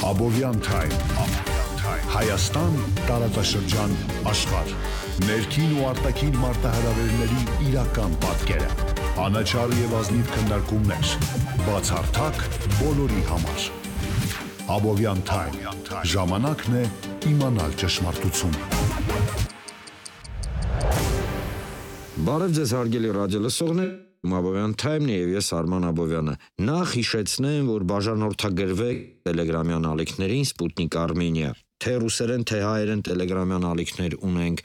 Abovyan Time Հայաստան տարածաշրջան աշխարհ ներքին ու արտաքին մարտահրավերների իրական պատկերը անաչառ եւ ազնիվ քննարկումներ բացառթակ բոլորի համար Abovyan Time ժամանակն է իմանալ ճշմարտությունը Բարև ձեզ հարգելի ռադիոլսողներ Abovyan Time-ն է եւ ես Արման Abovyan-ը։ Նախ հիշեցնեմ, որ բաժանորդագրվեք Telegram-յան ալիքներին Sputnik Armenia։ Թե ռուսերեն, թե հայերեն Telegram-յան ալիքներ ունենք։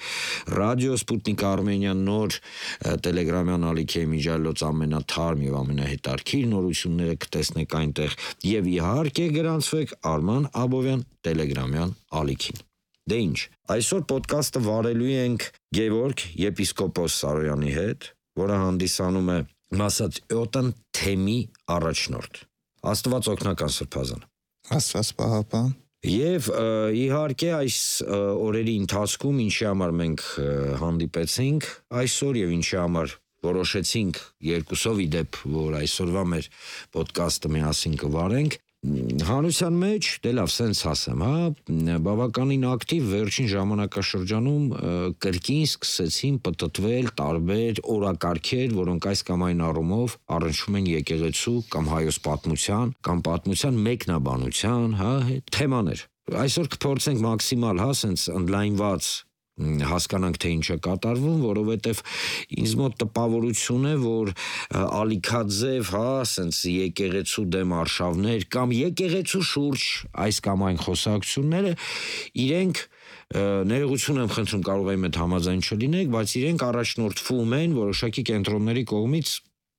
Ռադիո Sputnik Armenia նոր Telegram-յան ալիքի միջալոց ամենաթարմ եւ ամենահետաքրքիր նորությունները կտեսնեք այնտեղ եւ իհարկե գրանցվեք Արման Abovyan Telegram-յան ալիքին։ Դե ինչ, այսօր ոդկասթը վարելու ենք Գևորգ եպիսկոպոս Սարոյանի հետ, որը հանդիսանում է Մասատեոտան թեմի առաջնորդ։ Աստված օգնական սրբազան։ Աստված պահապան։ Եվ իհարկե այս օրերի ընթացքում ինչի համար մենք հանդիպեցինք այսօր եւ ինչի համար որոշեցինք երկուսով իդեպ, որ այսօրվա մեր ոդկասթը միասին կվարենք, հանրության մեջ, դե լավ, սենց ասեմ, բավականին ակտիվ վերջին ժամանակաշրջանում կրկին սկսեցին պտտվել տարբեր օրակարգեր, որոնք այս կամ այն առումով առնչվում են եկեղեցու կամ հայոց պատմության, կամ պատմության մեկնաբանության, թեմաներ։ Այսօր կփորձենք մաքսիմալ, սենց ընդլայնված հասկանանք թե ինչ է կատարվում, որովհետև ինձ մոտ տպավորություն է, որ ալիքաձև, սենց եկեղեցու դեմ արշավներ կամ եկեղեցու շուրջ այս կամ այն խոսակցությունները իրենք ներողություն եմ խնդրում, կարող եմ այդ համաձայն չլինեք, բայց իրենք առաջնորդվում են որոշակի կենտրոնների կողմից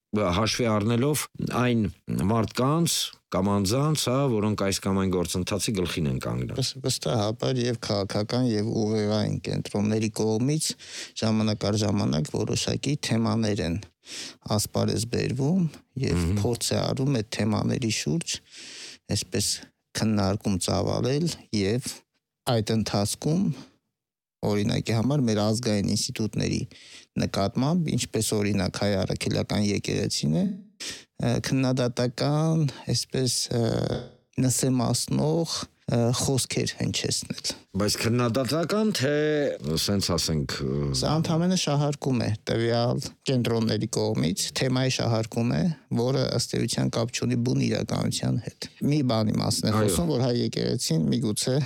հաշվի առնելով այն մարդկանց կամ անձանց, որոնք այս կամ այն գործընթացի գլխին են կանգնել։ Վստահաբար եւ քաղաքական եւ ուղեղային կենտրոնների կողմից ժամանակ առ ժամանակ որոշակի թեմաներ են ասպարեզ բերվում եւ փորձ է արում այդ թեմաների շուրջ այսպես քննարկում ծավալել եւ այդ ընթացքում օրինակի համար մեր ազգային ինստիտուտների նկատմամբ, ինչպես օրինակ հայ առաքելական եկեղեցին է, քննադատական, այսպես նսեմացնող խոսքեր հնչեցնել։ Բայց քննադատական թե սենց ասենք Սա ընդհանրապես շահարկում է տվյալ կենտրոնների կողմից, թեմայի շահարկում է, որը ըստ էության կապ չունի բուն իրականության հետ։ Մի բանի մասն է խոսում, որ հայ եկեղեցին միգուցե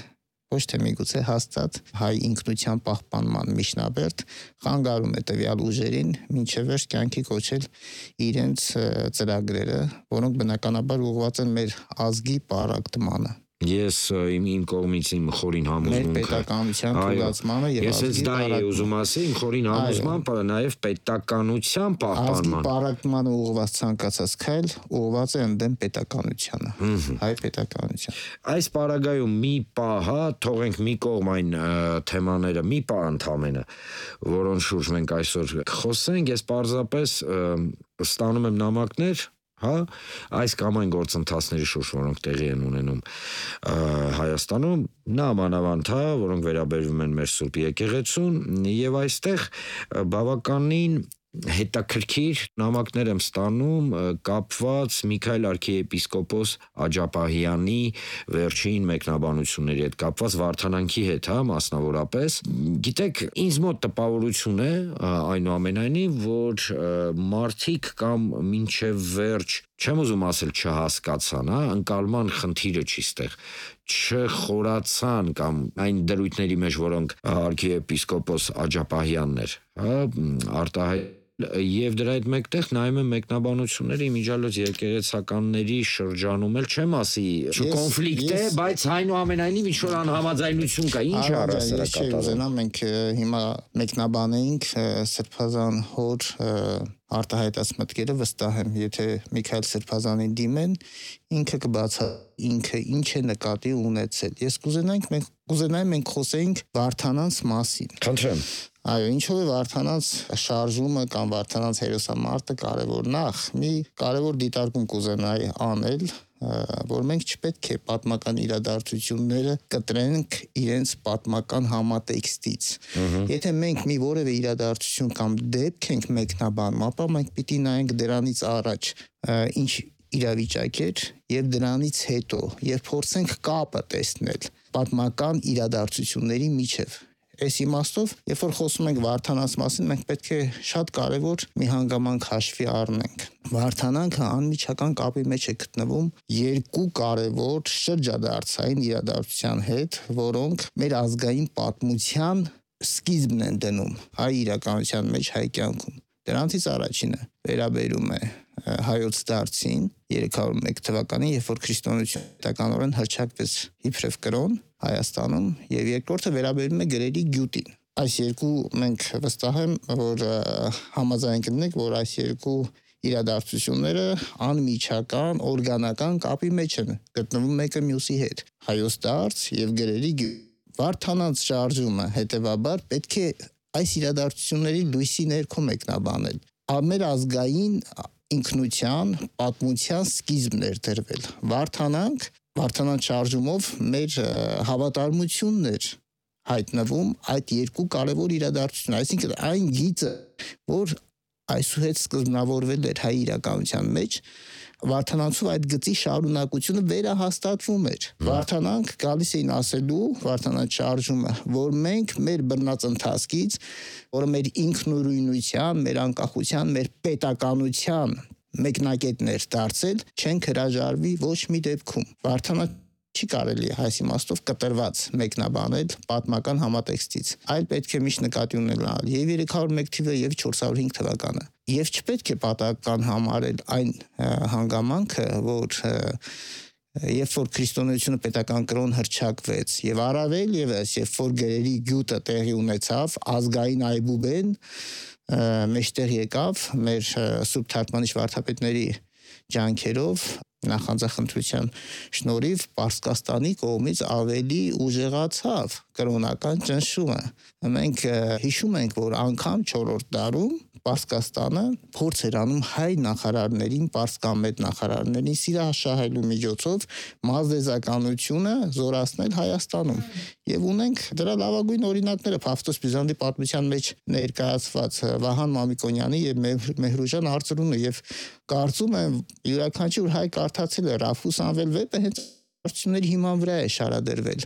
ոչ թե միգուցե հաստատ հայ ինքնության պահպանման միջնաբերդ խանգարում է տվյալ ուժերին մինչև վերջ կյանքի կոչել իրենց ծրագրերը, որոնք բնականաբար ուղղված են մեր ազգի պարակտմանը։ Ես իմ կողմից իմ խորին համոզմունքը մեր պետականության թույլատմանը եւ ես այս դա էի ուզում ասել իմ խորին համոզմամբ նաեւ պետականության պահպանման ազգի պարակտմանը ուղղված ցանկացած քայլ ուղղված է ընդդեմ պետականությանը հայ պետականության այս պարագայում մի պահ թողենք մի կողմ այն թեմաները մի պահ ընդամենը որոնց շուրջ մենք այսօր կխոսենք ես պարզապես ստանում եմ նամակներ այս կամ այն գործընթացների շուրջ, որոնք տեղի են ունենում Հայաստանում, նամանավանդ, որոնք վերաբերվում են մեր Սուրբ եկեղեցուն եւ այստեղ բավականին հետաքրքիր նամակներ եմ ստանում կապված Միքայել arczepiskopos Աջապահյանի վերջին մեկնաբանությունների հետ կապված վարդանանքի հետ, մասնավորապես։ Գիտեք, ինձ մոտ տպավորություն է այնուամենայնիվ, որ մարդիկ կամ մինչև վերջ չեմ ուզում ասել չհասկացան, ընկալման խնդիրը չի ստեղ, չխորացան կամ այն դրույթների մեջ, որոնք arczepiskopos Աջապահյանն էր, արտահայտ Եվ դրա հետ մեկտեղ նայում եմ մեկնաբանությունների իմիջիալոց եկեղեցականների շրջանում էլ չեմ ասի կոնֆլիկտ է, բայց այնուամենայնիվ ինչ-որ անհամաձայնություն կա, ինչ է առասարակատարում։ Մենք հիմա մեկնաբանեինք Սրբազան հոր արտահայտած մտքերը վստահ եմ, եթե Միքայել Սրբազանին դիմեն, ինքը կբացա ինքը ինչ է նկատի ունեցել։ Ես կուզենայի մենք խոսեինք Վարդանանց մասին։ Խնդրեմ։ Այո, ինչով է Վարդանանց շարժումը կամ Վարդանանց հերոսամարտը կարևոր նախ, մի կարևոր դիտարկում կուզենայի անել, որ մենք չպետք է պատմական իրադարձությունները կտրենք իրենց պատմական համատեքստից։ Եթե մենք մի որևէ իրադարձություն կամ դեպք ենք մեկնաբանում, ապա մենք պիտի նայենք դրանից առաջ, իրավիճակ էր եւ դրանից հետո եւ փորձենք կապը տեսնել պատմական իրադարձությունների միջև։ Այս իմաստով, երբ որ խոսում ենք Վարդանանց մասին, մենք պետք է շատ կարևոր մի հանգամանք հաշվի առնենք։ Վարդանանքը անմիջական կապի մեջ է գտնվում երկու կարևոր շրջադարձային իրադարձության հետ, որոնք մեր ազգային պատմության սկիզբն են դնում հայ իրականության մեջ, հայ կյանքում։ Դրանցից առաջինը վերաբերում է հայոց դարձին 301 թվականին, երբ որ քրիստոնեությունը պետականորեն հռչակվեց իբրև կրոն Հայաստանում, եւ երկրորդը վերաբերում է գրերի գյուտին։ Այս երկու մենք վստահ եմ, որ համաձայն կլինենք, որ այս երկու իրադարձությունները անմիջական, օրգանական կապի մեջ են գտնվում մեկը մյուսի հետ։ Հայոց դարձ եւ գրերի գյուտ։ Վարդանանց շարժումը հետեւաբար պետք է այս իրադարձությունների լույսի ներքո մեկնաբանել։ Մեր ազգային ինքնության, պատմության սկիզբն էր դրվել։ Վարդանանց շարժումով մեր հավատարմությունն էր հայտնվում այդ երկու կարևոր իրադարձություն, այսինքն այն գիծը, որ այսուհետ սկզբնավորվել էր հայ իրականության մեջ, Վարդանանցով այդ գծի շարունակությունը վերահաստատվում էր։ Վարդանանք գալիս էին ասելու, Վարդանանց շարժումը, որ մենք մեր բռնած ընթացքից, որը մեր ինքնուրույնության, մեր անկախության, մեր պետականության մեկնակետներ դարձել, չենք հրաժարվի ոչ մի դեպքում։ Վարդանանց չի կարելի այս իմաստով կտրված մեկնաբանել պատմական համատեքստից, այլ պետք է միշտ նկատի ունենալ եւ 301 թիվը եւ 405 թվականը։ Եվ չպետք է պատահական համարել այն հանգամանքը, որ երբ որ քրիստոնեությունը պետական կրոն հռչակվեց եւ առավել եւս երբ որ գրերի գյուտը տեղի ունեցավ, ազգային այբուբեն մեջտեղ եկավ մեր սուրբ թարգմանիչ վարդապետների ջանքերով նախանձախնդրության շնորհիվ Պարսկաստանի կողմից ավելի ուժեղացավ կրոնական ճնշումը։ Մենք հիշում ենք, որ անգամ 4-րդ դարում Պարսկաստանը փորձ էր անում հայ նախարարներին, պարսկամետ նախարարներին սիրահաշահելու միջոցով մազդեզականությունը զորացնել Հայաստանում։ Եվ ունենք դրա լավագույն օրինակները Փավստոս Բյուզանդի պատմության մեջ ներկայացված Վահան Մամիկոնյանի եւ Մեհրուժան Արծրունը, եւ կարծում եմ յուրաքանչյուր հայ կարդացել է Ռաֆուս Անվել վեպը, հենց արդյունքների հիման վրա է շարադրվել։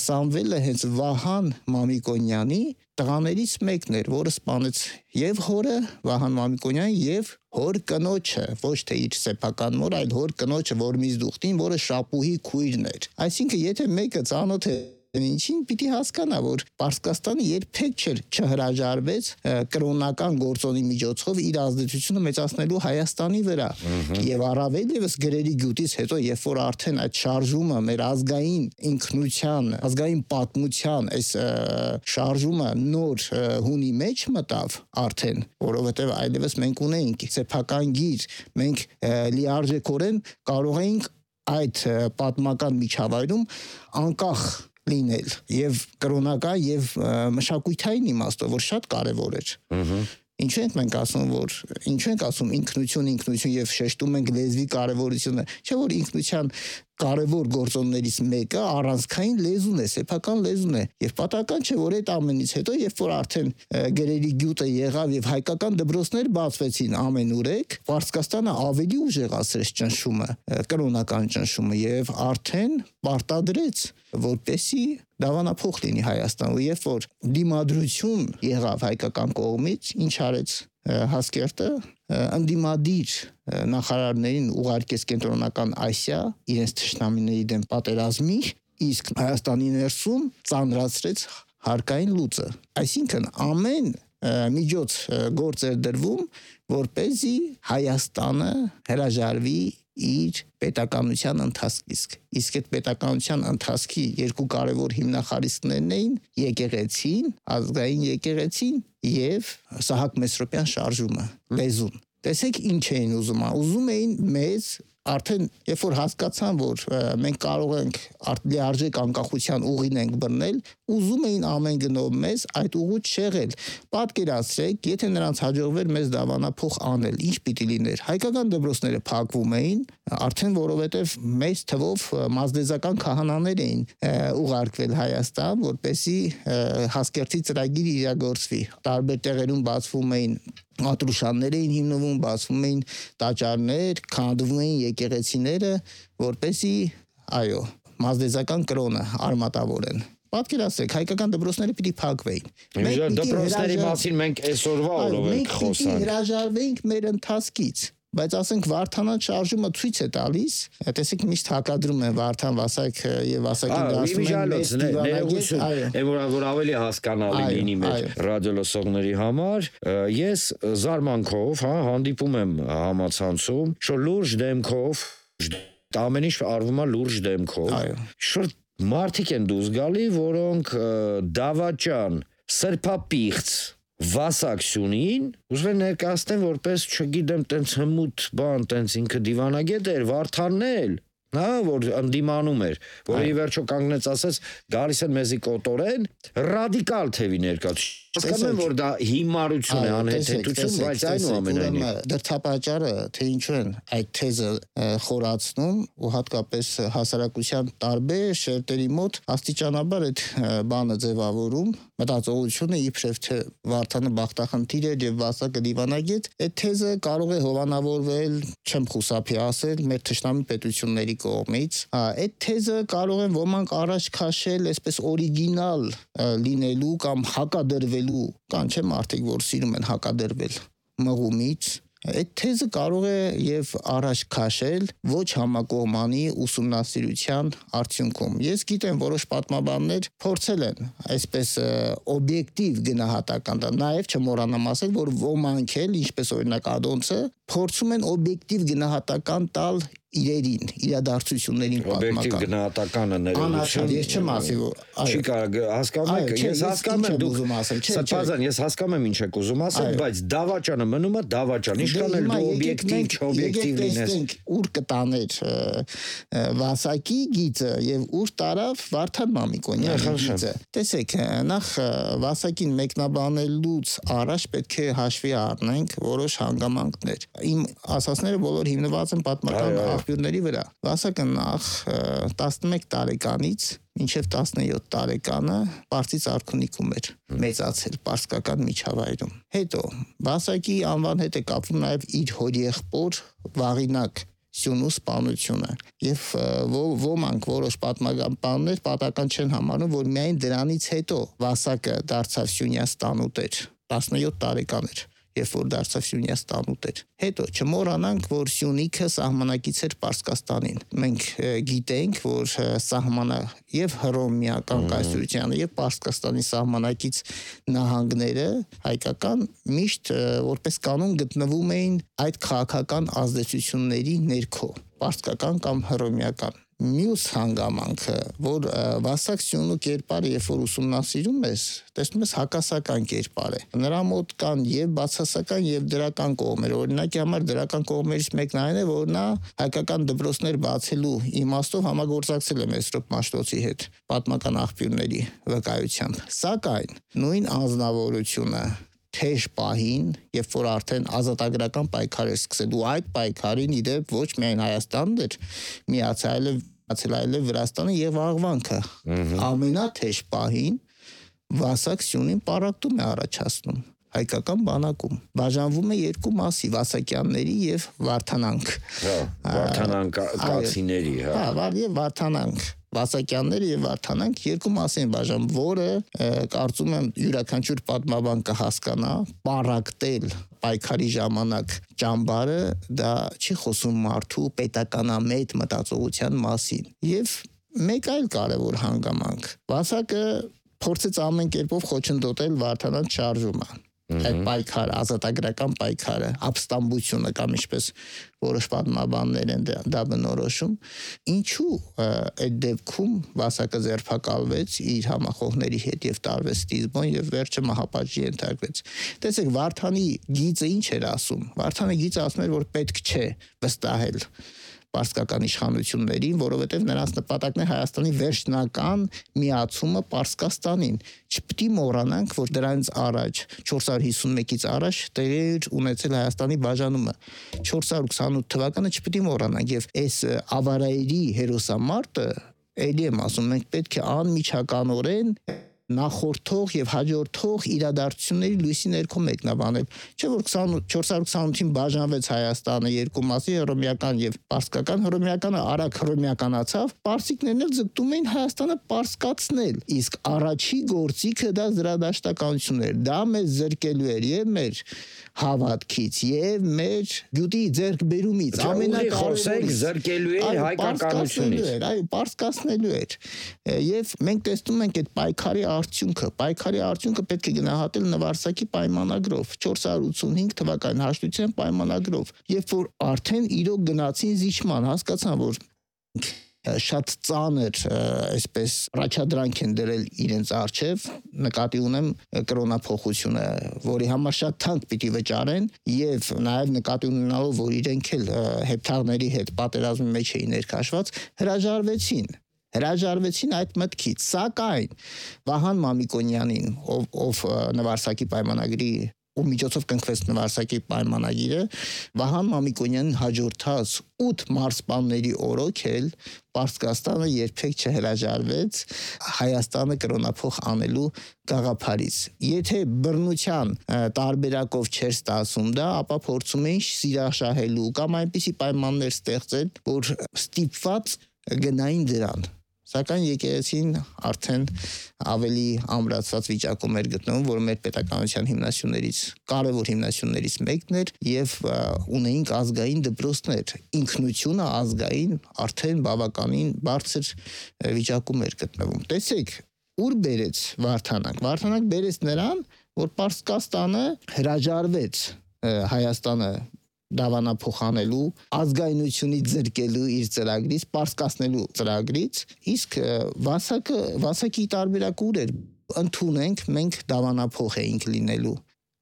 Սամվելը հենց Վահան Մամիկոնյանի տղաներից մեկն էր, որը սպանեց եւ հորը Վահան Մամիկոնյան եւ հոր կնոջը, ոչ թե իր սեփական մոր, այլ հոր կնոջը Որմիզ Դուխտին, որը Շապուհի քույրն էր։ Այսինքն եթե մեկը ծանոթ է ինչին պիտի հասկանա, որ Պարսկաստանը երբեք չհրաժարվեց կրոնական գործոնի միջոցով իր ազդեցությունը մեծացնելու Հայաստանի վրա։ Եվ առավել եւս գրերի գյուտից հետո, երբ որ արդեն այդ շարժումը մեր ազգային ինքնության, ազգային պատմության այս շարժումը նոր հունի մեջ մտավ արդեն, որովհետեւ այլևս մենք ունեինք սեփական գիր, մենք լիարժեքորեն կարող էինք այդ պատմական միջավայրում անկախ լինել եւ կրոնական եւ մշակութային իմաստով, որ շատ կարեւոր էր։ Ինչու ենք մենք ասում ինքնություն եւ շեշտում ենք լեզվի կարեւորությունը, չէ՞ որ ինքնության կարևոր գործոններից մեկը առանցքային լեզուն է, սեփական լեզուն է, եւ պատահական չէ, որ այդ ամենից հետո, երբ որ արդեն գրերի գյուտը եղավ եւ հայկական դպրոցներ բացվեցին ամենուրեք, Պարսկաստանը ավելի ուժեղացրեց ճնշումը, կրոնական ճնշումը եւ արդեն պարտադրեց, որպեսի դավանափոխ լինի Հայաստանը, երբ որ դիմադրություն եղավ հայկական կողմից, ինչ արեց Հասկերտը, ընդդիմադիր նախարարներին ուղարկեց կենտրոնական Ասիա իրենց թշնամիների դեմ պատերազմի, իսկ Հայաստանի ներսում ծանրացրեց հարկային լուծը։ Այսինքն ամեն միջոց գործ էր դրվում, որպեսզի Հայաստանը հրաժարվի իր պետականության ընթացքից։ Իսկ այդ պետականության ընթացքի երկու կարևոր հիմնախարիսքներն էին եկեղեցին, ազգային եկեղեցին եւ Սահակ Մեսրոպյան շարժումը, լեզուն։ Տեսեք ինչ էին ուզում էին մեզ արդեն երբ որ հասկացան, որ մենք կարող ենք լիարժեք անկախության ուղին ենք բռնել, ուզում էին ամեն գնով մեզ այդ ուղուց շեղել։ Պատկերացրեք, եթե նրանց հաջողվեր մեզ դավանափոխ անել, ինչ պիտի լիներ։ Հայկական դպրոցները փակվում էին, արդեն որովհետև մեծ թվով մազդեզական քահանաներ էին ուղարկվել Հայաստան, որպեսզի Հասկերտի ծրագիրը իրագործվի։ Տարբեր տեղերում բացվում էին Ատրուշաններ էին հիմնվում, բացվում էին տաճարներ, քանդվում էին եկեղեցիները, որպեսզի, այո, մազդեզական կրոնը արմատավորեն։ Պատկերացրեք, հայկական դպրոցները պիտի փակվեին։ Դպրոցների մասին մենք այսօրվա օրով ենք խոսում։ Մենք հրաժարվեինք մեր ընթացքից, բայց ասենք Վարդանան շարժումը ցույց է տալիս, տեսեք միշտ հակադրում են Վարդան Վասակ եւ Վասակին դասում են որ ավելի հասկանալի լինի մեր ռադիոլսողների համար, ես զարմանքով, հանդիպում եմ համացանցում, որ լուրջ դեմքով ամեն ինչ արվում է լուրջ դեմքով, շուտ մարդիկ են դուրս գալի, որոնք դավաճան, սրբապիղծ Վասակցունին ուզում են ներկայացնեն որպես, չգիտեմ, տենց հմուտ բան, տենց ինքը դիվանագետ էր, Վարդանն էլ, որ ընդդիմանում էր, որը ի վերջո կանգնեց ասեց, գալիս են մեզի կոտորեն, ռադիկալ թևի ներկայացուցիչ։ Հասկանում եմ, որ դա հիմարություն է, անհեթեթություն, բայց այնուամենայնիվ դրդապատճառը, թե ինչու են այդ թեզը խորացնում ու հատկապես հասարակության տարբեր շերտերի մոտ աստիճանաբար այդ բանը ձևավորում, մտածողությունը իբրև թե Վարդանը բախտախնդիր էր եւ Վասակը դիվանագետ, այդ թեզը կարող է հովանավորվել, չեմ խուսափի ասել, մեր թշնամի պետությունների կողմից, այդ թեզը կարող են ոմանք առաջ քաշել այսպես օրիգինալ լինելու կամ հակադրվելու, կան չէ մարդիկ, որ սիրում են հակադրվել մղումից, այդ թեզը կարող է եւ առաջ քաշել ոչ համակողմանի ուսումնասիրության արդյունքում։ Ես գիտեմ, որոշ պատմաբաններ փորձել են այսպես օբյեկտիվ գնահատական տալ, նաեւ չմոռանամ ասել, որ ոմանք էլ, ինչպես օրինակ Ադոնցը, փորձում են օբյեկտիվ գնահատական տալ իրերին, իրադարձություններին պատմական։ Օբյեկտիվ գնահատականը ներողություն։ Ես չեմ ասի, որ չի կարող, հասկանում եք, ես հասկանում եմ դուք Սրբազան, ես հասկանում եմ ինչ եք ուզում ասել, բայց դավաճանը մնում է դավաճան, ինչքան էլ դու օբյեկտիվ, չօբյեկտիվ լինես։ Ուր կտաներ Վասակի գիծը եւ ուր տարավ Վարդան Մամիկոնյանի գիծը։ Տեսեք, նախ Վասակին մեկնաբանելուց առաջ պետք է հաշվի առնենք որոշ հանգամանքներ։ Իմ ասածները բոլոր հիմնված են պատմական աղբյուրների վրա։ Վասակը նախ 11 տարեկանից մինչև 17 տարեկանը Պարսից արքունիքում էր մեծացել պարսկական միջավայրում։ Հետո Վասակի անվան հետ է կապվում նաև իր հորեղբոր Վաղինակ Սյունու սպանությունը եւ ոմանք որոշ պատմականներ պատական չեն համարում, որ միայն դրանից հետո Վասակը դարձավ Սյունյա ստանուտեր, 17 տարեկան էր, երբ որ դարձավ Սյունյա ստանուտեր։ Հետո չմոռանանք, որ Սյունիքը սահմանակից էր Պարսկաստանին։ Մենք գիտենք, որ սահմանը եւ Հռոմեական կայսրությանը եւ Պարսկաստանի սահմանակից նահանգները հայկական միշտ որպես կանոն գտնվում էին այդ քաղաքական ազդեցությունների ներքո, պարսկական կամ հռոմեական։ Մյուս հանգամանքը, որ Վասակ Սյունու կերպարը երբ որ ուսումնասիրում ես, տեսնում ես հակասական կերպար է։ Նրա մոտ կան եւ բացասական եւ դրական կողմեր։ Օրինակի համար դրական կողմերից մեկն այն է, որ նա հայկական դպրոցներ բացելու իմաստով համագործակցել է Մեսրոպ Մաշտոցի հետ պատմական աղբյուրների վկայությամբ։ Սակայն նույն անձնավորությունը թեժ պահին, երբ որ արդեն ազատագրական պայքար էր սկսել, ու այդ պայքարին իդեպ ոչ միայն Հայաստանն էր միացել, այլև Վրաստանը եւ Աղվանքը։ Ամենաթեժ պահին Վասակ Սյունին պարակտում է առաջացնում հայկական բանակում։ Բաժանվում է երկու մասի՝ Վասակյանների եւ Վարդանանք։ Վարդանանկացիների, եւ Վարդանանք։ Վասակյանները եւ Վարդանանք երկու մաս են բաժանում, որը կարծում եմ յուրաքանչյուր պատմաբան կհասկանա, պարակտել պայքարի ժամանակ ճամբարը դա չի խոսում մարդու պետականամետ մտածողության մասին։ Եվ մեկ այլ կարևոր հանգամանք։ Վասակը փորձեց ամեն կերպով խոչընդոտել Վարդանանց շարժումը։ Այդ պայքարը, ազատագրական պայքարը, ապստամբությունը կամ ինչպես որոշ պատմաբաններ են դա բնորոշում, ինչու այդ դեպքում Վասակը ձերբակալվեց իր համախոհների հետ եւ տարվեց Տիզբոն եւ վերջը մահապատժի ենթարկվեց։ Տեսեք, Վարդանի գիծը ինչ էր ասում։ Վարդանի գիծը ասում էր, որ պետք չէ վստահել պարսկական իշխանություններին, որովհետև նրանց նպատակն է Հայաստանի վերջնական միացումը Պարսկաստանին։ Չպետք է մոռանանք, որ դրանից առաջ 451-ից առաջ տեղի էր ունեցել Հայաստանի բաժանումը։ 428 թվականը չպետք է մոռանանք եւ այս ավարայերի հերոսամարտը, ելի եմ ասում, մենք պետք է անմիջականորեն նախորդող եւ հաջորդող իրադարձությունների լույսի ներքո մեկնաբանել։ Չէ՞ որ 428-ին բաժանվեց Հայաստանը երկու մասի, հռոմեական եւ պարսկական։ Հռոմեականը արագ հռոմեականացավ, պարսիկներն էլ ձգտում էին Հայաստանը պարսկացնել։ Իսկ առաջի գործիքը դա զրադաշտականությունն էր։ Դա մեզ զրկելու էր եւ մեր հավատքից եւ մեր գյուտի ձեռքբերումից, ամենակարևորը զրկելու էր հայկականությունից։ Այո, պարսկացնելու էր։ Եվ մենք տեսնում ենք այդ պայքարի արդյունքը պետք է գնահատել Նվարսակի պայմանագրով, 485 թվականի հաշտության պայմանագրով, երբ որ արդեն իրոք գնացին զիջման, հասկացան, որ շատ ծանր այսպես առաջադրանք են դրել իրենց առջև, նկատի ունեմ կրոնափոխությունը, որի համար շատ թանկ պիտի վճարեն եւ նաեւ նկատի ունենալով, որ իրենք էլ հեպթաղների հետ պատերազմի մեջ էին ներքաշված, հրաժարվեցին այդ մտքից, սակայն Վահան Մամիկոնյանին, ով Նվարսակի պայմանագրի ու միջոցով կնքվեց Նվարսակի պայմանագիրը, Վահան Մամիկոնյանին հաջորդած 8 մարզպանների օրոք էլ Պարսկաստանը երբեք չհրաժարվեց Հայաստանը կրոնափոխ անելու գաղափարից։ Եթե բռնության տարբերակով չէր ստացում դա, ապա փորձում էին սիրաշահելու կամ այնպիսի պայմաններ ստեղծել, որ ստիպված գնային դրան։ Սակայն եկեղեցին արդեն ավելի ամրացված վիճակում էր գտնվում, որ մեր պետականության կարևոր հիմնասյուներից մեկն էր եւ ունեինք ազգային դպրոցներ։ Ինքնությունը ազգային արդեն բավականին բարձր վիճակում էր գտնվում։ Տեսեք, ուր բերեց Վարդանանք։ Վարդանանք բերեց նրան, որ Պարսկաստանը հրաժարվեց Հայաստանը դավանափոխանելու, ազգայնությունից զրկելու իր ծրագրից, պարսկացնելու ծրագրից, իսկ Վասակի տարբերակը ուր էր։ Ընդունենք, մենք դավանափոխ էինք լինելու,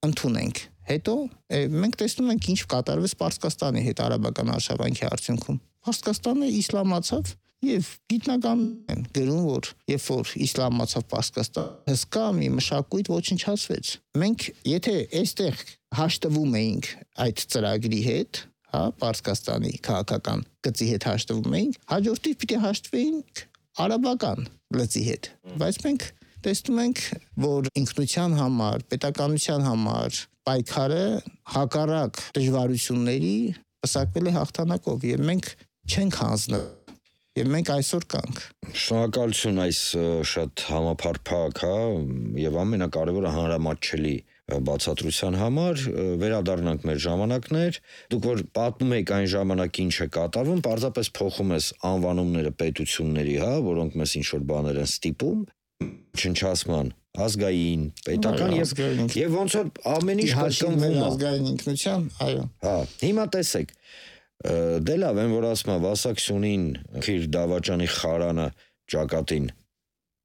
ընդունենք։ Հետո մենք տեսնում ենք ինչ կատարվեց Պարսկաստանի հետ արաբական արշավանքի արդյունքում։ Պարսկաստանը իսլամացավ եւ գիտնականներ են գրում, որ երբ որ իսլամացավ Պարսկաստանը, հսկա մի մշակույթ ոչնչացվեց։ Մենք եթե այստեղ հաշտվում էինք այդ ծրագրի հետ, Պարսկաստանի քաղաքական գծի հետ հաշտվում էինք, հաջորդիվ պիտի հաշտվեինք արաբական գծի հետ։ Բայց մենք տեսնում ենք, որ ինքնության համար, պետականության համար պայքարը հակառակ դժվարությունների պսակվել է հաղթանակով եւ մենք չենք հանձնվել։ Եվ մենք այսօր կանք։ Շնորհակալություն այս շատ համապարփակ, եւ ամենակարևորը հանրամատչելի բացատրության համար, վերադառնանք մեր ժամանակներ, դուք որ պատմում եք այն ժամանակ ինչ է կատարվում, պարզապես փոխում ես անվանումները պետությունների, որոնք մեզ ինչ որ բաներ են ստիպում, չնչացման, ազգային, պետական եւ ոնց որ ամեն ինչ կրկնվում է ազգային ինքնության, այո։ Հիմա տեսեք, դե լավ են, որ ասում է Վասակսյունին իր դավաճանի խարանը ճակատին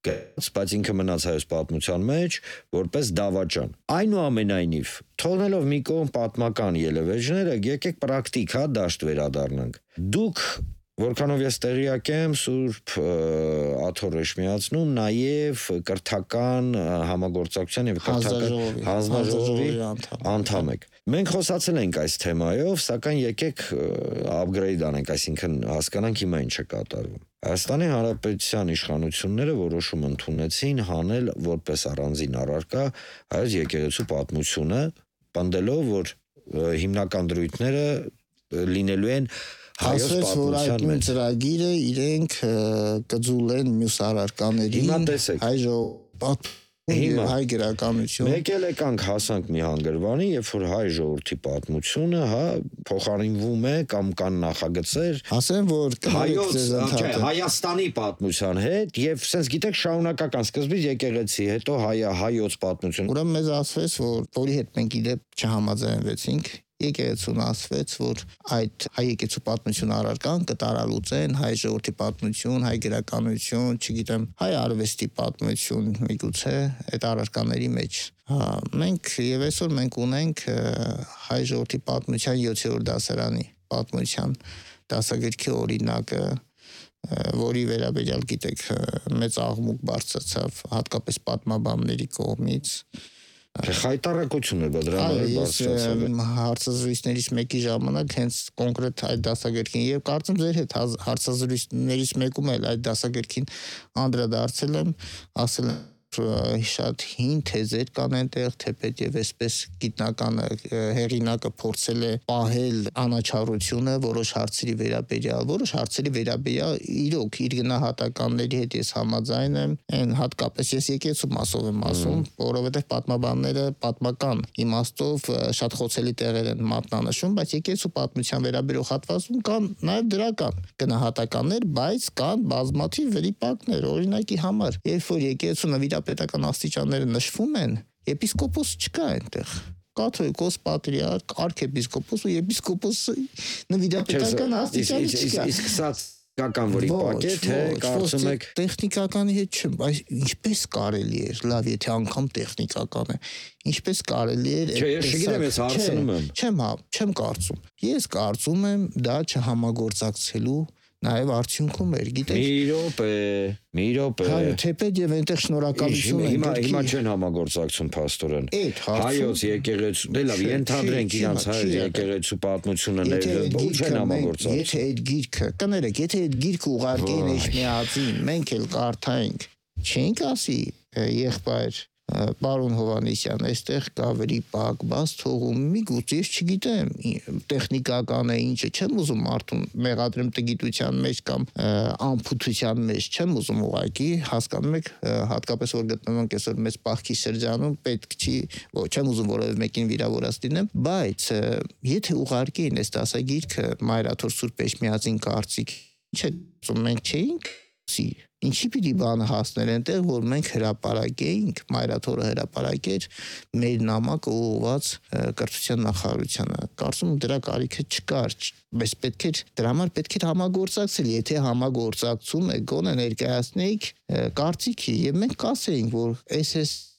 բայց ինքը մնաց հայոց պատմության մեջ որպես դավաճան։ Այնուամենայնիվ, թողնելով մի կողմ պատմական ելևէջները, եկեք պրակտիկ դաշտ վերադառնանք։ Դուք, որքանով ես տեղյակ եմ, Սուրբ Աթոռ Էշմիածնում նաև կրթական համագործակցության եւ կրթական հանձնաժողովի անդամ եք։ Մենք խոսացել ենք այս թեմայով, սակայն եկեք upgrade անենք, այսինքն հասկանանք հիմա ինչ է կատարվում։ Հայաստանի Հանրապետության իշխանությունները որոշում ընդունեցին հանել որպես առանձին առարկա հայոց եկեղեցու պատմությունը, պնդելով, որ հիմնական դրույթները լինելու են հայոց պատմության մեջ։ Ծրագիրը իրենք կձուլեն մյուս առարկաներին, հայ ժողովուրդ հայ գրականություն։ Մեկ էլ եկանք հասանք մի հանգրվանի, երբ որ հայ ժողովրդի պատմությունը, փոխարինվում է կամ կան նախագծեր ասեմ, որ Հայաստանի պատմության հետ եւ sense գիտեք շարունակական սկզբից եկեղեցի, հետո հայոց պատմություն։ Ուրեմն մեզ ասվեց, որ որի հետ մենք իդեպ չհամաձայնվեցինք, եկեղեցուն ասվեց, որ այդ հայ եկեղեցու պատմություն առարկան կտարալուծեն հայ ժողովրդի պատմություն, հայ գրականություն, չգիտեմ, հայ արվեստի պատմություն, միգուցե այդ առարկաների մեջ։ Մենք եւ այսօր մենք ունենք հայ ժողովրդի պատմության 7-րդ դասարանի պատմության դասագրքի օրինակը, որի վերաբերյալ գիտեք մեծ աղմուկ բարձրացավ հատկապես պատմաբանների կողմից։ Խայտարակություն է դրանով բարձրացել։ Հարցազրույցներից մեկի ժամանակ հենց կոնկրետ այդ դասագրքին եւ կարծում ձեր հետ հարցազրույցներից մեկում էլ այդ դասագրքին անդրադարձել եմ, ասել եմ, շատ հին թեզեր կան այնտեղ, թեպետ եւ այսպես գիտնական հեղինակը փորձել է պահել անաչառությունը որոշ հարցերի վերաբերյալ իրոք իր գնահատականների հետ ես համաձայն եմ, այն հատկապես ես եկեղեցու մասով եմ ասում, որովհետեւ պատմաբանները պատմական իմաստով շատ խոցելի տեղեր են մատնանշում, բայց եկեղեցու պատմության վերաբերող հատվածում կան նաեւ դրական գնահատականներ, բայց կան բազմաթիվ վրիպակներ, օրինակի համար, երբ որ եկեղեցու նվիրապետական աստիճանները նշվում են, եպիսկոպոս չկա այնտեղ։ Կաթողիկոս, պատրիարք, արքեպիսկոպոս ու եպիսկոպոսը նվիրապետական աստիճանի չկա։ Իսկ սա կական որի պակե, թե կարծում եք տեխնիկականի հետ չեմ, բայց ինչպես կարելի է, լավ, եթե անգամ տեխնիկական է, ինչպես կարելի է։ Չէ, ես չգիտեմ, ես հարցնում եմ։ Չեմ կարծում։ Ես կարծում եմ դա չհամագործակցելու նաև արդյունքում էր, գիտեք։ Մի րոպե։ Թեպետ եւ այնտեղ շնորհակալություն է։ Հիմա չեն համագործակցում փաստորեն։ Հայոց եկեղեցու, դե լավ, ենթադրենք իրանց հայոց եկեղեցու պատմությունը ու չեն համագործակցում։ Եթե այդ գիրքը, կներեք, եթե այդ գիրքը ուղարկեին Էջմիածին, մենք էլ կարդայինք, չենք ասի եղբայր Պարոն Հովանեսյան, այստեղ կա վրիպակ, բաց թողում, միգուցե ես չգիտեմ, տեխնիկական է ինչը, չեմ ուզում մարդուն մեղադրեմ տգիտության մեջ կամ անփութության մեջ, չեմ ուզում ուղղակի, հասկանում եք, հատկապես որ գտնվում ենք այսօր մեծ պահքի շրջանում, պետք չի, չեմ ուզում որևէ մեկին վիրավորած լինեմ, բայց եթե ուղարկեին այս դասագիրքը Մայրաթոր Սուրբ Էջմիածին կարծիք, ինչ է, մենք չէինք Ինչի պիտի բանը հասներ այնտեղ, որ մենք հրապարակեինք, Մայրաթորը հրապարակեր մեր նամակը ուղղված կրթության նախարարությանը։ Կարծում եմ դրա կարիքը չկար, բայց դրա համար պետք էր համագործակցել, եթե համագործակցում է գոնե ներկայացնեիք կարծիքի եւ մենք կասեինք, որ այս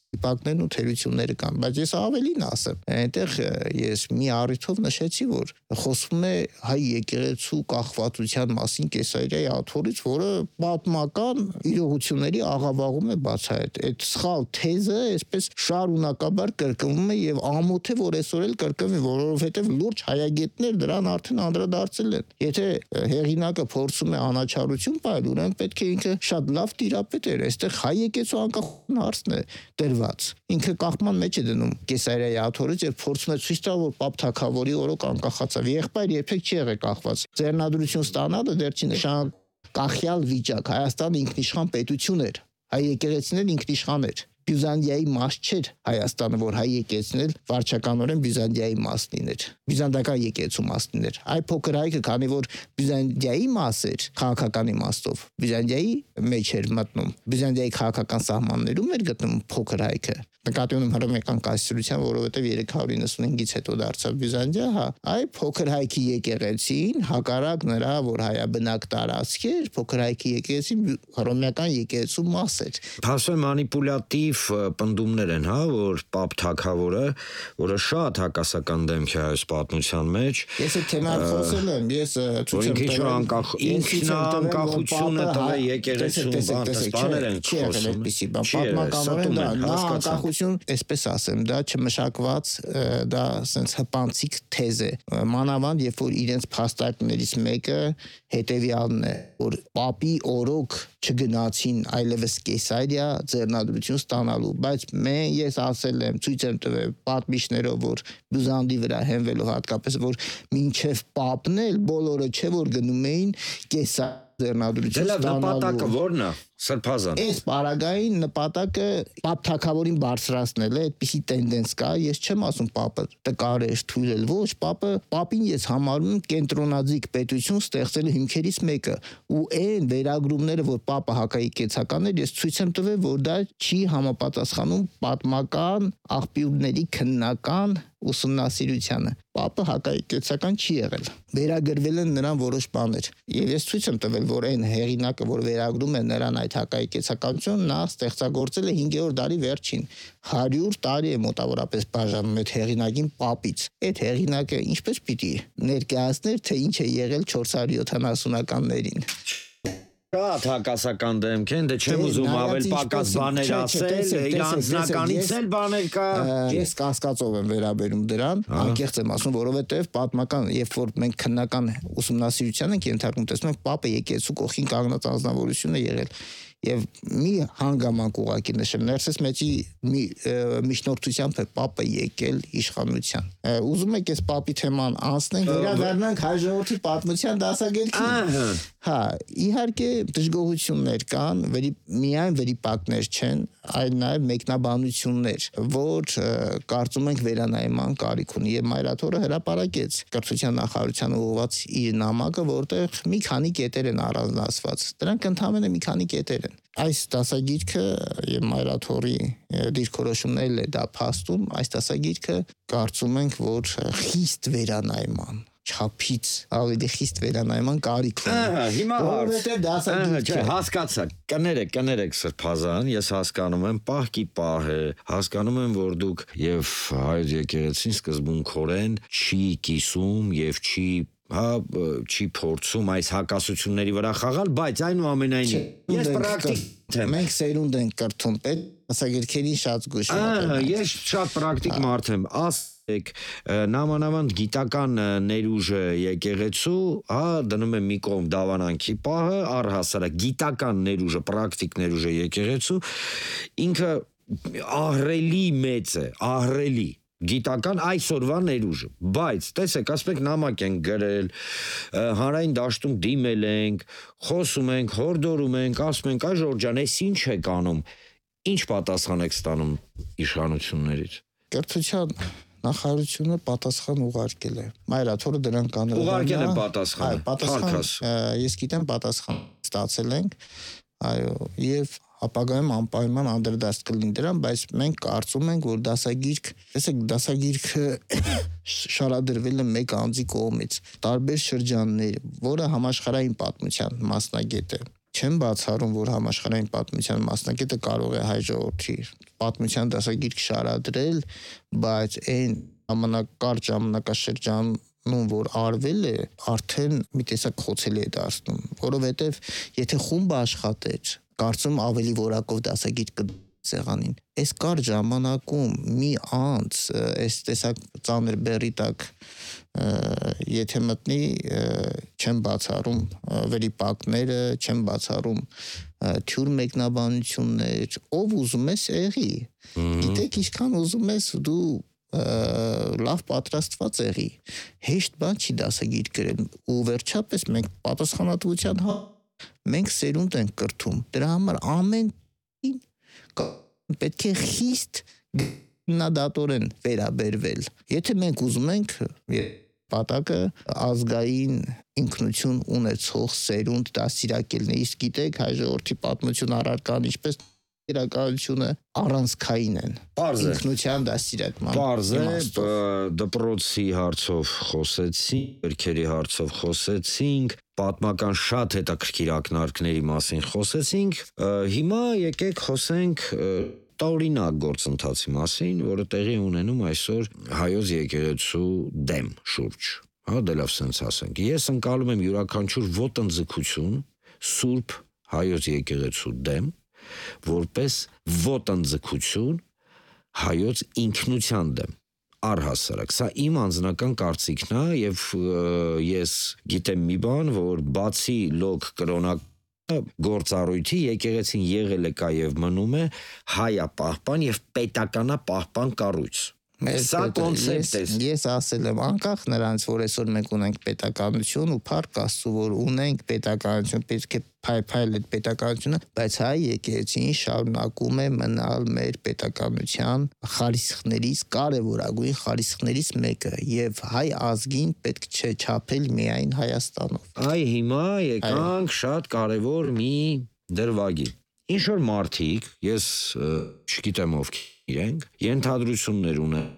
վիպակներն ու թերությունները կան, բայց ես ավելին ասեմ, այնտեղ ես մի առիթով նշեցի, որ խոսվում է հայ եկեղեցու կախվածության մասին Կեսարիայի աթոռից, որը պատմական իրողությունների աղավաղում է բացահայտ։ Այդ սխալ թեզը այսպես շարունակաբար կրկնվում է եւ ամոթ է, որ այսօր էլ կրկնվի, որովհետեւ լուրջ հայագետներ դրան արդեն անդրադարձել են։ Եթե հեղինակը փորձում է անաչառություն պահել, ուրեմն պետք է ինքը շատ լավ տիրապետ էր, այստեղ հայ եկեղեցու անկախության հարցն է ինքը կախման մեջ է դնում Կեսարիայի աթոռից եւ փորձում է ցույց տալ, որ Պապ Թագավորի օրոք անկախացավ։ Եղբայր երբեք չի եղել կախված։ Ձեռնադրություն ստանալը դեռ չի նշան կախյալ վիճակ։ Հայաստանը ինքնիշխան պետություն էր։ Հայ եկեղեցին էլ ինքնիշխան էր։ Բյուզանդիայի մաս չէր Հայաստանը, որ հայ եկեղեցին էլ վարչականորեն Բյուզանդիայի մաս լիներ։ Բյուզանդական եկեղեցու մաս լիներ։ Այ փոքր հայքը, քանի որ Բյուզանդիայի մաս էր քաղաքական իմաստով, Բյուզանդիայի մեջ էր մտնում։ Բյուզանդիայի քաղաքական սահմաններում էր գտնվում փոքր հայքը։ Նկատի ունեմ հռոմեական կայսրության, որովհետև 395-ից հետո դարձավ Բյուզանդիա, հա, այ փոքր հայքի եկեղեցին, հակառակ նրա, որ հայաբնակ տարածք էր, փոքր հայքի եկեղեցին հռոմեական եկեղեցու մաս էր։ Փաստորեն մանիպուլատիվ պնդումներ են, հա, որ Պապ Թագավորը, որը շատ հակասական դեմք է այս պատմության մեջ, ես այդ թեման խոսել եմ, ես ցույց եմ տվել ինքնանկախությունը տվել եկեղեցուն, բաներ են խոսում։ Պատմականորեն դա այսպես ասեմ, դա չմշակված, դա ասենց հպանցիկ թեզ է։ Մանավանդ, երբ որ իրենց փաստարկներից մեկը հետևյալն է, որ Պապի օրոք չգնացին այլևս Կեսարիա ձեռնադրություն ստանալու, բայց ես ասել եմ, ցույց եմ տվել պատմիչներով, որ Բյուզանդի վրա հենվելով հատկապես, որ մինչև Պապն էլ բոլորը չէ, որ գնում էին Կեսարիա ձեռնադրություն ստանալու։ Նպատակը ո՞րն է, Սրբազան։ Այս պարագային նպատակը Պապ Թագավորին բարձրացնել է, այդպիսի տենդենս կա, ես չեմ ասում Պապը տկար էր, թույլ էր, ոչ, Պապին ես համարում եմ կենտրոնաձիգ պետություն ստեղծելու հիմքերից մեկը, ու այն վերագրումները, որ Պապը հակաեկեղեցական էր, ես ցույց եմ տվել, որ դա չի համապատասխանում պատմական աղբյուրների քննական ուսումնասիրությանը։ Պապը հակաեկեղեցական չի եղել։ Վերագրվել են նրան որոշ բաներ։ Եվ ես ցույց եմ տվել, որ այն հեղինակը, որ վերագրում է նրան այդ հակաեկեղեցականություն, նա ստեղծագործել է 5-րդ դարի վերջին 100 տարի է մոտավորապես բաժանում այդ հեղինակին Պապից։ Այդ հեղինակը ինչպես պիտի ներկայացներ, թե ինչ է եղել 470-ականներին։ Շատ հակասական դեմք են, դե չեմ ուզում ավել պակաս բաներ ասել, իր անձնականից էլ բաներ կա։ Ես կասկածով եմ վերաբերում դրան, անկեղծ եմ ասում, որովհետև պատմական, երբ որ մենք քննական ուսումնասիրության ենք ենթարկում, տեսնում ենք Պապը եկեղեցու կողքին կանգնած անձնավորություն է եղել։ եւ մի հանգամանք ուղակի նշեմ ներսես մեջի մի միջնորդությամբ է պապը եկել իշխանության ուզում եք այս պապի թեման անցնենք վերադառնանք հայ ժողովրդի պատմության դասագետին հա իհարկե դժգոհություններ կան միայն վերիպակներ չեն այլ նաեւ մեկնաբանություններ որ կարծում ենք վերանայման կարիք ունի եւ Մայրաթորը հրապարակեց կրթության նախարարությանը ուղղված իր նամակը որտեղ մի քանի կետեր են առանձնացված դրանք ընդհանրապես մի քանի կետեր են այս դասագիրքը եւ Մայրաթորի դիրքորոշումներն է դա փաստում այս դասագիրքը կարծում ենք որ խիստ վերանայման չափից ավելի խիստ վերանայման կարիք ունի հիմա որովհետեւ դասագիրքը հասկացա կներեք սրբազան ես հասկանում եմ պահքի պահ է հասկանում եմ որ դուք եւ հայոց եկեղեցին սկզբունքորեն չի կիսում եւ չի փորձում այս հակասությունների վրա խաղալ բայց այնուամենայնիվ ես պրակտիկ եմ մենք սերունդ ենք կրթում պետ դասագիրքերին շատ զգուշ ես շատ պրակտիկ մարդ եմ նամանավանդ գիտական ներուժը եկեղեցու, դնում եմ մի կողմ դավանանքի պահը, առհասարակ գիտական ներուժը, պրակտիկ ներուժը եկեղեցու, ինքը ահռելի մեծ է, ահռելի գիտական այսօրվա ներուժը, բայց տեսեք, ասում եք նամակ ենք գրել, հանրային դաշտում դիմել ենք, խոսում ենք, հորդորում ենք, ասում ենք, այ Ժորժան, այս ինչ եք անում, ինչ պատասխան եք ստանում իշխանություններից։ Կրթության նախարարությունը պատասխան ուղարկել է։ Մայրաթորը դրան կանել։ Ուղարկել է պատասխանը։ Պատասխան, ես գիտեմ պատասխան ստացել ենք, այո, եւ ապագայում անպայման անդրադարձ կլինի դրան, բայց մենք կարծում ենք, որ դասագիրքը շարադրվել է մեկ անձի կողմից, տարբեր շրջաններ, որը համաշխարհային պատմության մասնագետ է։ Չեմ բացառում, որ համաշխարհային պատմության մասնագետը կարող է հայ ժողովրդի պատմության դասագիրք շարադրել, բայց այն ժամանակակարճ ժամանակաշրջանում, որ արվել է, արդեն մի տեսակ խոցելի է դարձնում, որովհետև եթե խումբը աշխատեր, կարծում ավելի որակով դասագիր կսեղանին։ Այս կարճ ժամանակում մի անձ այս տեսակ ծանր բեռի տակ եթե մտնի չեմ բացառում վերիպակները, չեմ բացառում թյուր մեկնաբանություններ, ով ուզում ես եղի։ Գիտեք, ինչքան ուզում ես դու լավ պատրաստված եղի։ Հեշտ բան չի դասագիր գրել ու վերջապես մենք պատասխանատվության մենք սերունդ ենք կրթում։ Դրա համար ամեն պետք է խիստ գնահատորեն վերաբերվել։ Եթե մենք ուզում ենք պատակը ազգային ինքնություն ունեցող սերունդ դաստիարակելն է, իսկ գիտեք հայ ժողովրդի պատմություն առարկան ինչպես իրականությունը առանցքային են։ Ինքնության դաստիարակման։ Պարզ է, դպրոցի հարցով խոսեցինք, գրքերի հարցով խոսեցինք, պատմական շատ հետաքրքիր ակնարկների մասին խոսեցինք, հիմա եկեք խոսենք տարօրինակ գործընթացի մասին, որը տեղի ունենում այսօր հայոց եկեղեցու դեմ շուրջ։ Դե լավ սենց ասենք։ Ես ընկալում եմ յուրաքանչյուր ոտնձգություն սուրբ հայոց եկեղեցու դեմ, որպես ոտնձգություն հայոց ինքնության դեմ։ Առհասարակ, սա իմ անձնական կարծիքն է եւ ես գիտեմ մի բան, որ բացի լոկ կրոնական գործառույթի եկեղեցին եղել է կա եւ մնում է հայապահպան եւ պետականապահպան կառույց։ Սա կոնցեպտ է։ Ես ասել եմ, անկախ նրանց, որ այսօր մենք ունենք պետականություն ու փառք Աստծո, որ ունենք պետականություն, պետք է փայփայել այդ պետականությունը, բայց հայ եկեղեցին շարունակում է մնալ մեր պետականության խարիսխներից, կարևորագույն խարիսխներից մեկը եւ հայ ազգին պետք չէ չափել միայն Հայաստանով։ Այ հիմա եկանք շատ կարևոր մի դրվագի։ Ինչ որ մարդիկ, ես չգիտեմ ովքեր իրենք, ենթադրություններ ունեն,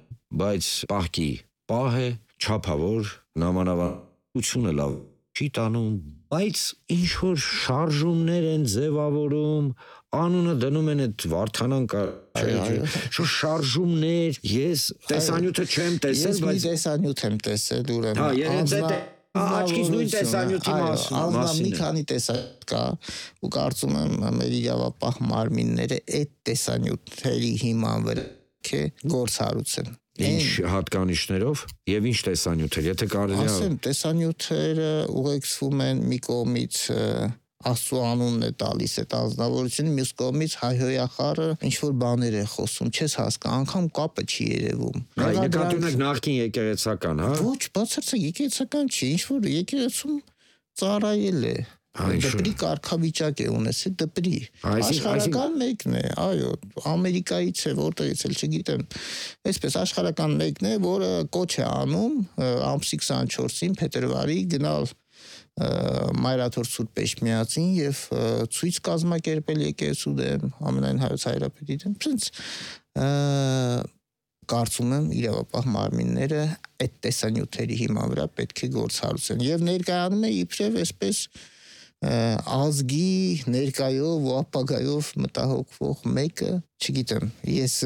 բայց պահքի պահ է, չափավոր, նամանավանությունը լավ չի տանում, բայց ինչ որ շարժումներ են ձևավորում, անունը դնում են այդ Վարդանան շո շարժումներ, ես տեսանյութը չեմ տեսել, բայց տեսանյութ եմ տեսել, ուրեմն աչքից նույն տեսանյութի մասին մի քանի տեսանյութ կա ու կարծում եմ մեր իրավապահ մարմինները այդ տեսանյութերի հիման վրա գործառույթ Ինչ հատկանիշներով եւ ինչ տեսանյութեր, եթե կարելի է ասեմ տեսանյութերը ուղեկցվում են մի կողմից Աստծո անունն է տալիս այդ անձնավորությունը, մյուս կողմից հայհոյախառը ինչ որ բաներ է խոսում, չես հասկանում, անգամ կապը չի երևում։ Նկատի ունեք նախկին եկեղեցական, հա։ Ոչ, բացարձակ եկեղեցական չի, ինչ որ եկեղեցում ծառայել է։ Դպրի կարգավիճակ է ունեցել, դպրի։ Աշխարհական մեկն է, այո, Ամերիկայից է, որտեղից էլ չգիտեմ։ Այսպես աշխարհական մեկն է, որը կոչ է անում ամսի 24-ին փետրվարի գնալ Մայրաթոր Սուրբ Էջմիածին եւ ցույց կազմակերպել եկեղեցու դեմ, ամենայն հայոց հայրապետի դեմ։ Պրինց կարծում եմ իրավապահ մարմինները այդ տեսանյութերի հիման վրա պետք է գործառույթեն եւ ներկայանում է իբրև այսպես ազգի ներկայով ու ապագայով մտահոգվող մեկը, չգիտեմ, ես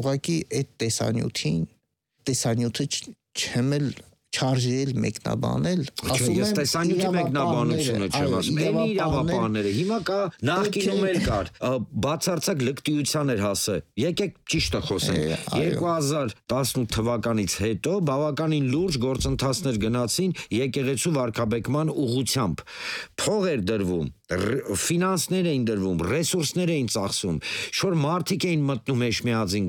ուղղակի այդ տեսանյութը չեմ էլ չարժել մեկնաբանել, ասում եմ, ես տեսանյութի մեկնաբանությունը չեմ ասում, այն իրավապահները, հիմա կա, նախկինում էլ կար, բացարձակ լկտիության էր հասել, եկեք ճիշտը խոսենք, 2018 թվականից հետո բավականին լուրջ գործընթացներ գնացին եկեղեցու վարքաբեկման ուղղությամբ, փող էր դրվում, ֆինանսներ էին դրվում, ռեսուրսներ էին ծախսում, շոր մարդիկ էին մտնում Էջմիածին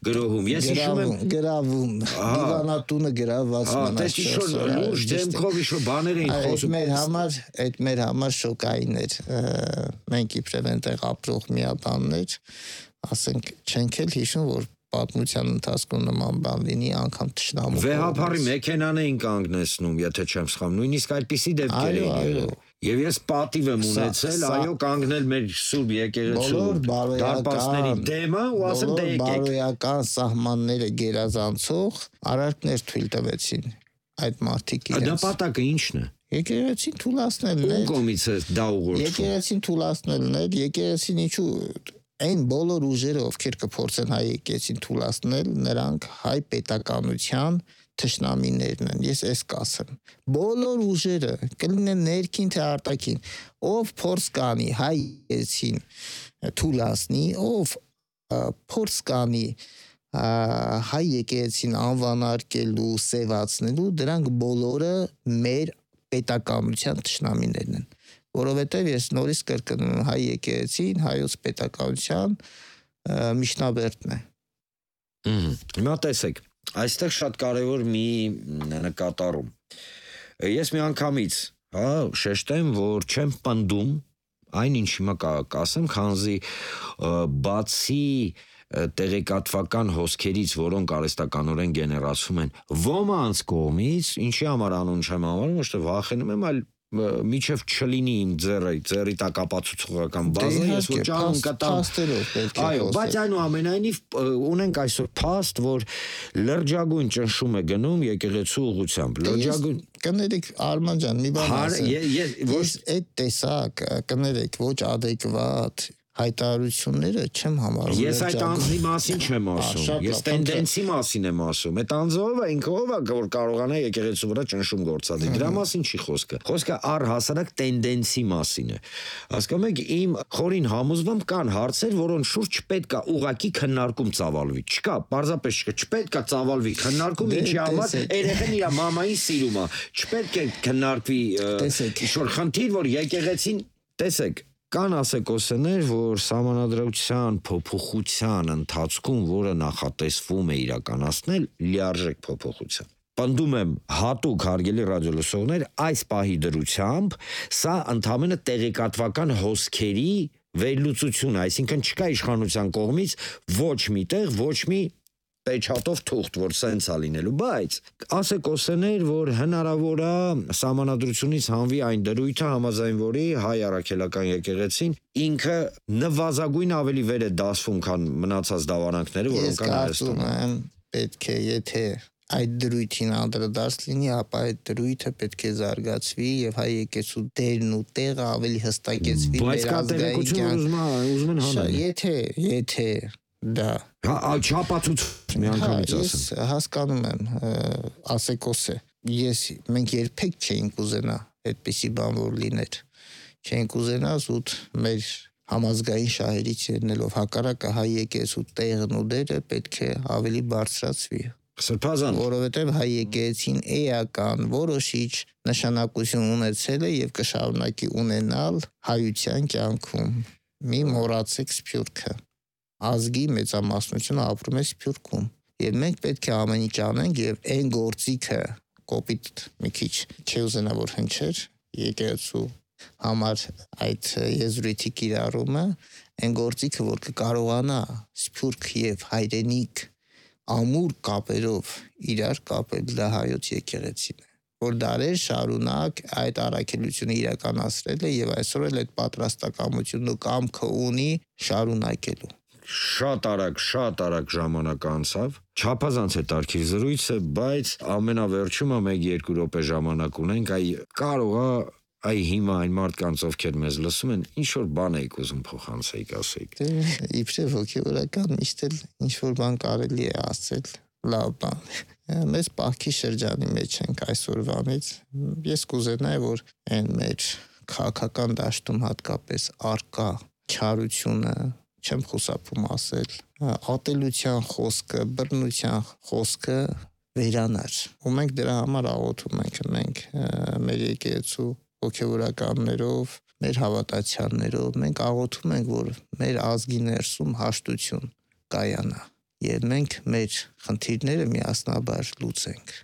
գրոհում, ես հիշում եմ գրավում, դիվանատունը գրաված լուրջ դեմքով իշո բաներ էին խոսում։ Այդ մեր համար շոկային էր։ Մենք իբրև այնտեղ ապրող միաբաններ, ասենք, չենք էլ հիշում, որ պատմության ընթացքում նման բան լինի, անգամ թշնամու։ Վեհափարի մեքենան էին կանգնեցնում, եթե չեմ սխալվում, նույնիսկ այդպիսի դեպքեր էին եղել։ Եվ ես պատիվ եմ ունեցել, այո, կանգնել մեր Սուրբ եկեղեցու դարպասների դեմը ու ասել դե եկեք։ Բարոյական սահմանները գերազանցող արարքներ թույլ տվեցին այդ մարդիկ իրենց։ Նպատակը ի՞նչն է։ Եկեղեցին թուլացնելն է։ Ում կողմից է դա ուղղորդվում։ Եկեղեցին թուլացնելն է, եկեղեցին ինչու այն բոլոր ուժերը, ովքեր կփորձեն հայ եկեղեցին թուլացնել, նրանք հայ պետականության թշնամիներն են, ես այս կասեմ։ Բոլոր ուժերը, կլինեն ներքին թե արտաքին, ով փորձ կանի հայ եկեղեցին թուլացնի, ով փորձ կանի հայ եկեղեցին անվանարկելու, սևացնելու, դրանք բոլորը մեր պետականության թշնամիներն են։ Որովհետև ես նորից կրկնում եմ, հայ եկեղեցին հայոց պետականության միջնաբերդն է։ Հիմա տեսեք, այստեղ շատ կարևոր մի նկատառում։ Ես մի անգամից, շեշտեմ, որ չեմ պնդում այն ինչ հիմա կասեմ, քանզի բացի տեղեկատվական հոսքերից, որոնք արհեստականորեն գեներացվում են ոմանց կողմից, ինչի համար անուն չեմ անվանում, ոչ թե վախենում եմ, այլ միջև չլինի իմ ձեռի տակ ապացուցողական բազա, ես ոչ անում կտամ։ Այո, բայց այնուամենայնիվ ունենք այսօր փաստ, որ լրջագույն ճնշում է գնում եկեղեցու ուղղությամբ։ Լրջագույն կներեք Արման ջան, մի բան ասեմ։ Ես այդ տեսակ կներեք ոչ adekvat հայտարարությունները չեմ համարում։ Ես այդ անձի մասին չեմ ասում, ես տենդենսի մասին եմ ասում, այդ անձով է ինքը ով է, որ կարողանա եկեղեցու վրա ճնշում գործադրի, դրա մասին չի խոսքը, խոսքը առհասարակ տենդենսի մասին է, հասկանում եք, իմ խորին համոզմամբ կան հարցեր, որոնց շուրջ չպետք է ուղղակի քննարկում ծավալվի, չկա, պարզապես չկա, չպետք է ծավալվի քննարկում, ինչի համար երեխան իր մամային սիրում է, չպետք է քննարկվի ինչ-որ խնդիր, որ եկեղեցին, տեսեք, կան ասեկոսներ, որ սահմանադրության փոփոխության ընթացքում, որը նախատեսվում է իրականացնել, լիարժեք փոփոխության։ Պնդում եմ հատուկ հարգելի ռադիոլսողներ, այս պահի դրությամբ սա ընդամենը տեղեկատվական հոսքերի վերլուծություն, այսինքն չկա իշխանության կողմից ոչ մի տեղ, ոչ մի պեչատով թուղթ, որ սենց է լինելու, բայց ասեկոսներ, որ հնարավոր է սահմանադրությունից հանվի այն դրույթը, համաձայն որի հայ առաքելական եկեղեցին ինքը նվազագույն ավելի վեր է դասվում, քան մնացած դավարանքները, որոնք կան Հայաստանում։ Ես կարծում եմ, պետք է, եթե այդ դրույթին անդրադարձ լինի, ապա այդ դրույթը պետք է զարգացվի եւ հայ եկեղեցու դերն ու տեղը ավելի հստակեցվի մեր ազգային կյանքում։ Եթե դա չապացույց մի անգամից ասեմ։ Ես հասկանում եմ, ասեկոս է։ Մենք երբեք չէինք ուզենա այդպիսի բան որ լիներ։ Չէինք ուզենա զուտ մեր համազգային շահերից ելնելով հակառակը հայ եկեղեցու տեղն ու դերը պետք է ավելի բարձրացվի։ Սրբազան, որովհետև հայ եկեղեցին էական որոշիչ նշանակություն ունեցել է եւ կշարունակի ունենալ հայության կյանքում։ Մի մոռացեք Սփյուռքը։ Ազգի մեծամասնությունը ապրում է Սփյուռքում եւ մենք պետք է ամեն ինչ անենք եւ այն գործիքը կոպիտ մի քիչ չուզենա որ հնչեր եկեղեցու համար այդ եզրույթի կիրառումը այն գործիքը որ կկարողանա Սփյուռք եւ հայրենիք ամուր կապերով իրար կապել դա հայոց եկեղեցին է, որ դարեր շարունակ այդ առաքելությունը իրականացրել է եւ այսօր էլ այդ պատրաստակամությունն ու կամքը ունի շարունակելու։ շատ արագ ժամանակ անցավ, չափազանց է տարքի զրույցը, բայց ամենավերջում 1-2 րոպե ժամանակ ունենք, այ հիմա այն մարդկանց ովքեր մեզ լսում են, ինչ որ բան եք ուզում փոխանցեիք, ասեիք։ Իբրև հոգեվորական միշտ էլ ինչ որ բան կարելի է ասել, լավ բան։ Մեզ պահքի շրջանի մեջ ենք այսօրվանից։ Ես կուզենայի, որ այն մեր քաղաքական դաշտում հատկապես արկա չարությունը, չեմ խուսափում ասել, ատելության խոսքը, բռնության խոսքը վերանար։ Ու մենք դրա համար աղոթում ենք մեր եկեղեցու հոգեվորականներով, մեր հավատացյալներով, մենք աղոթում ենք, որ մեր ազգի ներսում հաշտություն կայանա եւ մենք մեր խնդիրները միասնաբար լուծենք։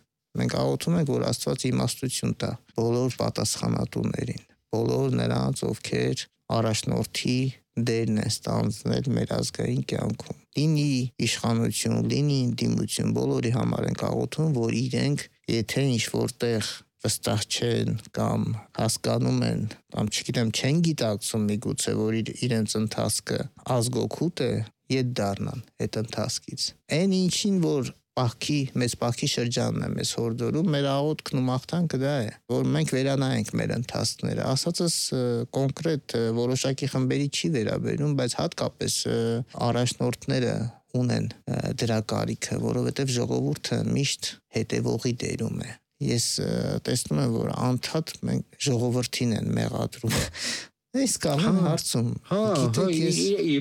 Մենք աղոթում ենք, որ Աստված իմաստություն տա բոլոր պատասխանատուներին, բոլոր նրանց, ովքեր առաջնորդի դերն են ստանձնել մեր ազգային կյանքում։ Լինի իշխանություն, լինի ինտիմություն, բոլորի համար ենք աղոթում, որ իրենք, եթե ինչ որտեղ վստահ չեն կամ հասկանում են, կամ չգիտեմ, չեն գիտակցում միգուցե, որ իրենց ընթացքը ազգօգուտ է, ետ դառնան այդ ընթացքից։ Այն ինչին, որ մեծ պահքի շրջանն է մեզ հորդորում, մեր աղոթքն ու մաղթանքը դա է, որ մենք վերանայենք մեր ընթացքները։ Ասածս կոնկրետ որոշակի խմբերի չի վերաբերում, բայց հատկապես առաջնորդները ունեն դրա կարիքը, որովհետև ժողովուրդը միշտ հետևողի դերում է։ Ես տեսնում եմ, որ անդադ մենք ժողովրդին են մեղադրում։ Այս կամեն հարցում։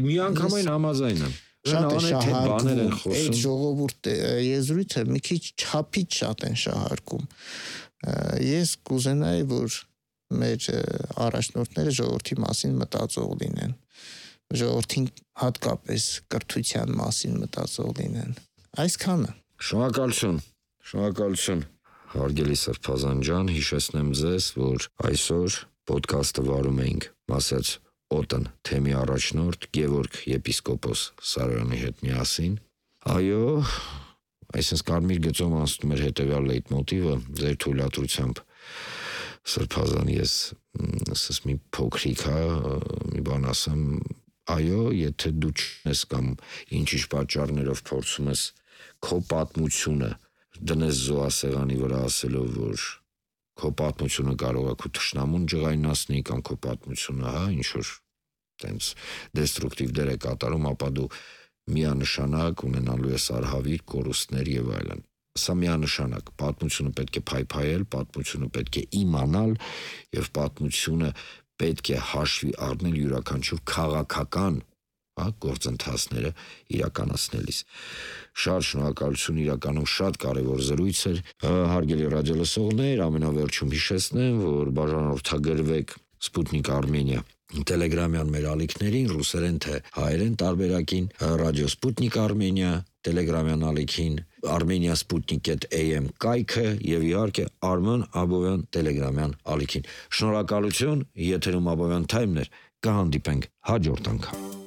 Մի անգամայն համաձայն եմ։ Շատ է շահարկում, այդ ժողովուրդ եզրույթը մի քիչ չափից շատ են շահարկում։ Ես կուզենայի, որ մեր առաջնորդները ժողովրդի մասին մտածող լինեն, ժողովրդին հատկապես կրթության մասին մտածող լինեն։ Այսքանը։ Շնորհակալություն։ Հարգելի Սրբազան ջան, հիշեցնեմ ձեզ, որ այսօր ոդքասթը վարում էինք Մասած Օտն թեմի առաջնորդ Գևորգ եպիսկոպոս Սարոյանի հետ միասին։ Այո, այսինքն կարմիր գծով անցնում էր հետևյալ լեյտմոտիվը, ձեր թույլատրությամբ Սրբազան ես ասես մի փոքրիկ մի բան ասեմ, այո, եթե դու չես կամ ինչ-ինչ պատճառներով փորձում ես քո պատմությունը դնես զոհասեղանի վրա ասելով, որ քո պատմությունը կարող է քո թշնամուն ջղայնացնի կամ քո պատմությունը, ինչ-որ տենց դեստրուկտիվ դեր է կատարում, ապա դու միանշանակ ունենալու ես արհավիր, կորուստներ եւ այլն։ Սա միանշանակ, պատմությունը պետք է փայփայել, պատմությունը պետք է իմանալ եւ պատմությունը պետք է հաշվի առնել յուրաքանչյուր քաղաքական գործընթացները իրականացնելիս։ Շատ շնորհակալություն, իրականում շատ կարևոր զրույց էր։ Հարգելի ռադիոլսողներ, ամենավերջում հիշեցնեմ, որ բաժանորդագրվեք Sputnik Armenia Telegram-յան մեր ալիքներին, ռուսերեն թե հայերեն տարբերակին, ռադիո Sputnik Armenia Telegram-յան ալիքին, Armenia Sputnik.am կայքը եւ իհարկե Արման Աբովյան Telegram-յան ալիքին։ Շնորհակալություն, եթերում Աբովյան Թայմներ, կհանդիպենք հաջորդ անգամ։